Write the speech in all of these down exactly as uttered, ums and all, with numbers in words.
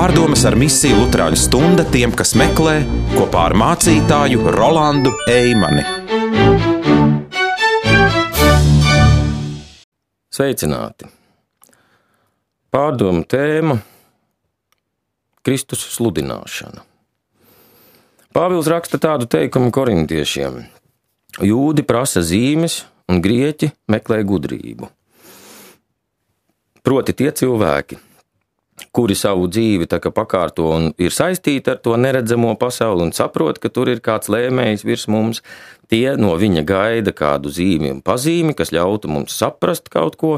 Pārdomas ar misiju Luterāņu stunda tiem, kas meklē, kopā ar mācītāju Rolandu Eimani. Sveicināti! Pārdomu tēma – Kristus sludināšana. Pāvils raksta tādu teikumu korintiešiem: Jūdi prasa zīmes un grieķi meklē gudrību. Proti tie cilvēki, kuri savu dzīvi tā kā pakārto un ir saistīti ar to neredzamo pasauli un saprot, ka tur ir kāds lēmējs virs mums, tie no viņa gaida kādu zīmi un pazīmi, kas ļautu mums saprast kaut ko.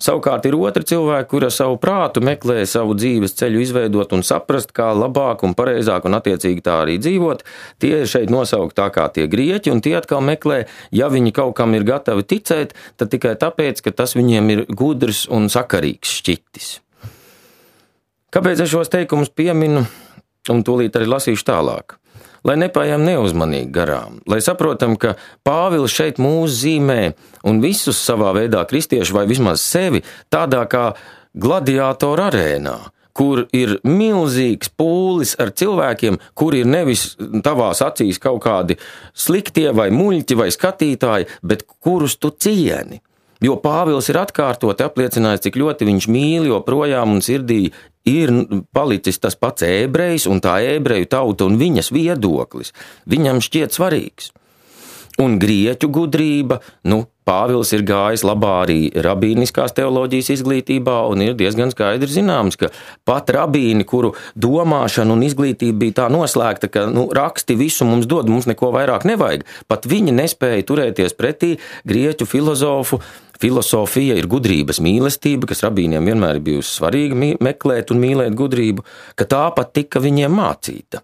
Savukārt ir otri cilvēki, kuri ar savu prātu meklē savu dzīves ceļu izveidot un saprast, kā labāk un pareizāk un attiecīgi tā arī dzīvot. Tie ir šeit nosaukt tā kā tie grieķi, un tie atkal meklē, ja viņi kaut kam ir gatavi ticēt, tad tikai tāpēc, ka tas viņiem ir gudrs un sakarīgs šķitis. Kāpēc es šos teikumus pieminu un tūlīt arī lasīšu tālāk? Lai nepājām neuzmanīgi garām, lai saprotam, ka Pāvils šeit mūs zīmē un visus savā veidā kristiešu vai vismaz sevi tādā kā gladiātoru arēnā, kur ir milzīgs pūlis ar cilvēkiem, kuri ir nevis tavās acīs kaut kādi sliktie vai muļķi vai skatītāji, bet kurus tu cieni. Jo Pāvils ir atkārtoti apliecinājis, cik ļoti viņš mīl, jo projām un sirdī ir palicis tas pats ebrejs un tā ebreju tauta un viņas viedoklis. Viņam šķiet svarīgs. Un grieķu gudrība, nu, Pāvils ir gājis labā arī rabīniskās teoloģijas izglītībā un ir diezgan skaidri zināms, ka pat rabīni, kuru domāšana un izglītība bija tā noslēgta, ka nu, raksti visu mums dod, mums neko vairāk nevajag, pat viņi nespēja turēties pretī grieķu filozofu. Filosofija ir gudrības mīlestība, kas rabīniem vienmēr ir bijusi svarīga meklēt un mīlēt gudrību, ka tā pat tika viņiem mācīta.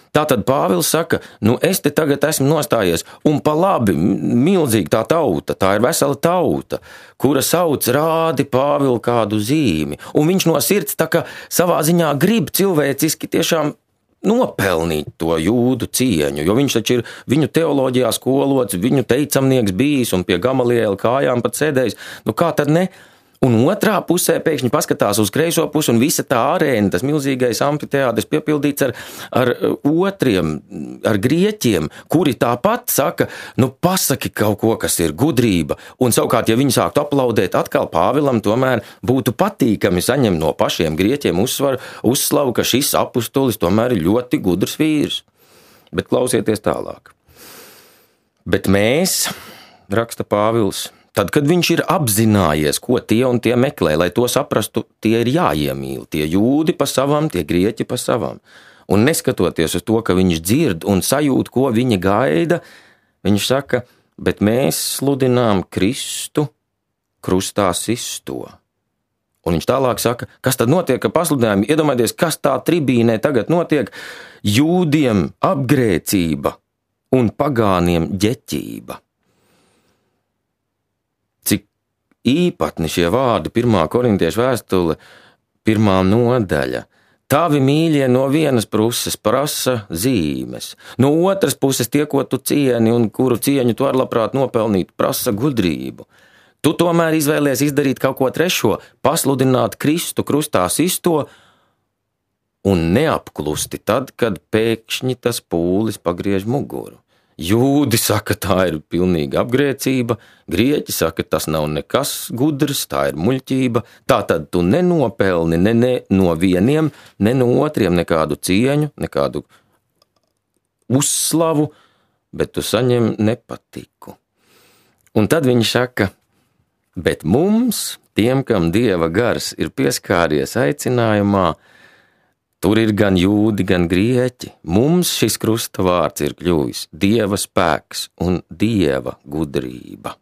Tātad Pāvils saka, nu es te tagad esmu nostājies, un pa labi, milzīgi tā tauta, tā ir vesela tauta, kura sauc rādi Pāvilu kādu zīmi, un viņš no sirds tā kā savā ziņā grib cilvēciski tiešām nopelnīt to jūdu cieņu, jo viņš taču ir viņu teoloģijā skolots, viņu teicamnieks bijis un pie Gamaliela kājām pat sēdējis, nu kā tad ne? Un otrā pusē pēkšņi paskatās uz kreiso pusi un visa tā arēna, tas milzīgais amfiteātris piepildīts ar, ar otriem, ar grieķiem, kuri tāpat saka, nu pasaki kaut ko, kas ir gudrība. Un savukārt, ja viņi sāktu aplaudēt, atkal Pāvilam tomēr būtu patīkami saņemt no pašiem grieķiem uzsvaru, uzslavu, ka šis apustulis tomēr ir ļoti gudrs vīrs. Bet klausieties tālāk. Bet mēs, raksta Pāvils, tad, kad viņš ir apzinājies, ko tie un tie meklē, lai to saprastu, tie ir jāiemīl, tie jūdi pa savam, tie grieķi pa savam. Un neskatoties uz to, ka viņš dzird un sajūt, ko viņa gaida, viņš saka, bet mēs sludinām Kristu krustā sisto. Un viņš tālāk saka, kas tad notiek, ka pasludinājumi, iedomājieties, kas tā tribīnē tagad notiek, jūdiem apgrēcība un pagāniem ģeķība. Īpatni šie vārdi, pirmā korintiešu vēstule, pirmā nodaļa. Tavi mīļie no vienas puses prasa zīmes, no otras puses tie, ko tu cieni un kuru cieņu tu ar labprāt nopelnīt, prasa gudrību. Tu tomēr izvēlies izdarīt kaut ko trešo, pasludināt Kristu krustā sisto un neapklusti tad, kad pēkšņi tas pūlis pagriež muguru. Jūdi saka, tā ir pilnīga apgrēcība, grieķi saka, tas nav nekas gudrs, tā ir muļķība, tā tad tu nenopelni ne, ne no vieniem, ne no otriem nekādu cieņu, nekādu uzslavu, bet tu saņem nepatiku. Un tad viņš saka, bet mums, tiem, kam Dieva gars ir pieskāries aicinājumā, tur ir gan jūdi, gan grieķi. Mums šis krusta vārds ir kļuvis Dieva spēks un Dieva gudrība.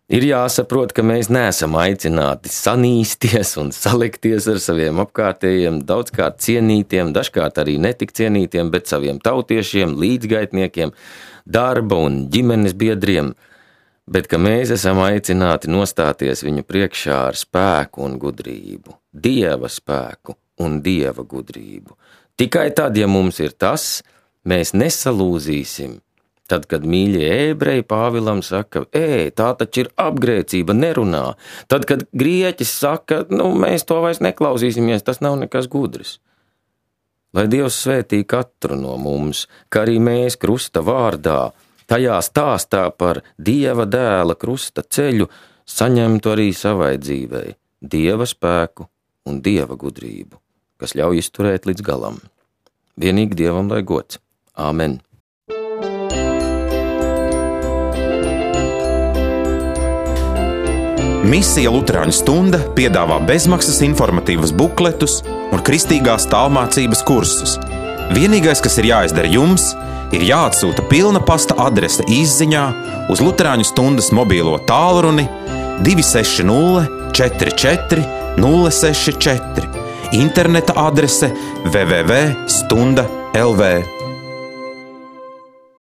Ir jāsaprot, ka mēs neesam aicināti sanīsties un salikties ar saviem apkārtējiem, daudzkārt cienītiem, dažkārt arī netik cienītiem, bet saviem tautiešiem, līdzgaitniekiem, darba un ģimenes biedriem, bet ka mēs esam aicināti nostāties viņu priekšā ar spēku un gudrību, Dieva spēku un Dieva gudrību. Tikai tad, ja mums ir tas, mēs nesalūzīsim Tad, kad mīļie ebreji Pāvilam saka, ej, tā taču ir apgrēcība, nerunā. Tad, kad grieķis saka, nu, mēs to vairs neklausīsimies, tas nav nekas gudrs. Lai Dievs svētī katru no mums, kā arī mēs krusta vārdā, tajā stāstā par Dieva dēla krusta ceļu, saņemtu arī savai dzīvei Dieva spēku un Dieva gudrību, kas ļauj izturēt līdz galam. Vienīgi Dievam lai gods. Āmen. Misija Luterāņu stunda piedāvā bezmaksas informatīvas bukletus un kristīgās tālmācības kursus. Vienīgais, kas ir jāizdara jums, ir jāatsūta pilna pasta adrese īsziņā uz Luterāņu stundas mobīlo tālruni divi seši nulle četri četri nulle seši četri, interneta adrese w w w punkt stunda punkt l v.